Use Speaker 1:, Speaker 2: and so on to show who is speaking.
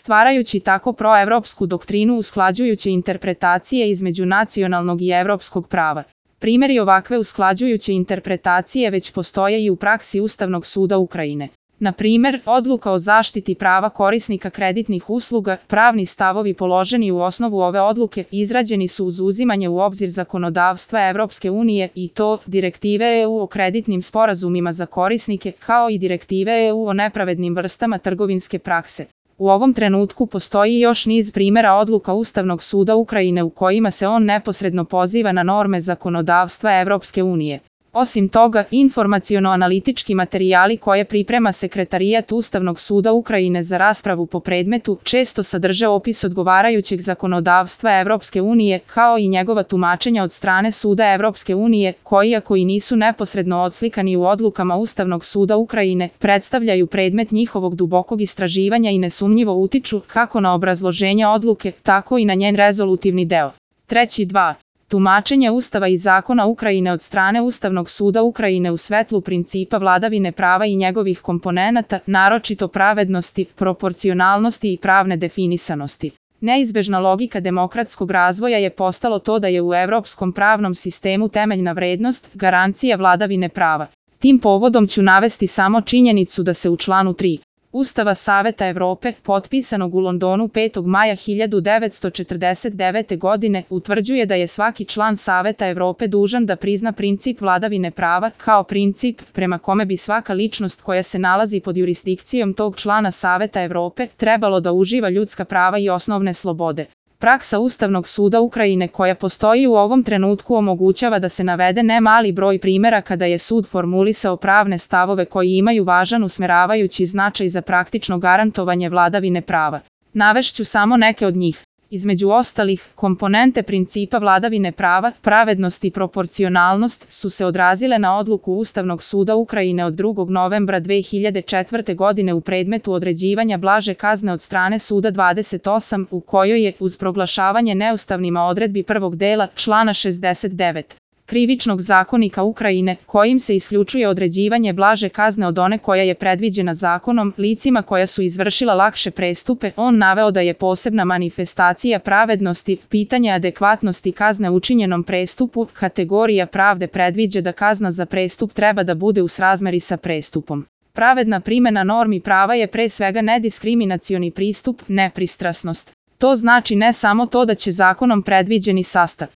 Speaker 1: stvarajući tako proevropsku doktrinu usklađujuće interpretacije između nacionalnog i evropskog prava. Primjeri ovakve usklađujuće interpretacije već postoje i u praksi Ustavnog suda Ukrajine. Na primjer, odluka o zaštiti prava korisnika kreditnih usluga, pravni stavovi položeni u osnovu ove odluke izrađeni su uz uzimanje u obzir zakonodavstva Evropske unije i to direktive EU o kreditnim sporazumima za korisnike, kao i direktive EU o nepravednim vrstama trgovinske prakse. U ovom trenutku postoji još niz primjera odluka Ustavnog suda Ukrajine u kojima se on neposredno poziva na norme zakonodavstva Evropske unije. Osim toga, informaciono-analitički materijali koje priprema Sekretarijat Ustavnog suda Ukrajine za raspravu po predmetu često sadrže opis odgovarajućeg zakonodavstva Evropske unije, kao i njegova tumačenja od strane Suda Evropske unije, koji ako i nisu neposredno odslikani u odlukama Ustavnog suda Ukrajine, predstavljaju predmet njihovog dubokog istraživanja i nesumnjivo utiču kako na obrazloženje odluke, tako i na njen rezolutivni deo. 3.2. Tumačenje Ustava i zakona Ukrajine od strane Ustavnog suda Ukrajine u svetlu principa vladavine prava i njegovih komponenata, naročito pravednosti, proporcionalnosti i pravne definisanosti. Neizbežna logika demokratskog razvoja je postalo to da je u evropskom pravnom sistemu temeljna vrednost, garancija vladavine prava. Tim povodom ću navesti samo činjenicu da se u članu 3. Ustava Saveta Evrope, potpisanog u Londonu 5. maja 1949. godine, utvrđuje da je svaki član Saveta Evrope dužan da prizna princip vladavine prava, kao princip prema kome bi svaka ličnost koja se nalazi pod jurisdikcijom tog člana Saveta Evrope trebalo da uživa ljudska prava i osnovne slobode. Praksa Ustavnog suda Ukrajine koja postoji u ovom trenutku omogućava da se navede ne mali broj primjera kada je sud formulisao pravne stavove koji imaju važan usmeravajući značaj za praktično garantovanje vladavine prava. Navešću samo neke od njih. Između ostalih, komponente principa vladavine prava, pravednost i proporcionalnost su se odrazile na odluku Ustavnog suda Ukrajine od 2. novembra 2004. godine u predmetu određivanja blaže kazne od strane Suda 28, u kojoj je, uz proglašavanje neustavnima odredbi prvog dela, člana 69. Krivičnog zakonika Ukrajine, kojim se isključuje određivanje blaže kazne od one koja je predviđena zakonom, licima koja su izvršila lakše prestupe, on naveo da je posebna manifestacija pravednosti, pitanje adekvatnosti kazne učinjenom prestupu, kategorija pravde predviđa da kazna za prestup treba da bude u srazmeri sa prestupom. Pravedna primjena normi prava je pre svega nediskriminacioni pristup, nepristrasnost. To znači ne samo to da će zakonom predviđeni sastav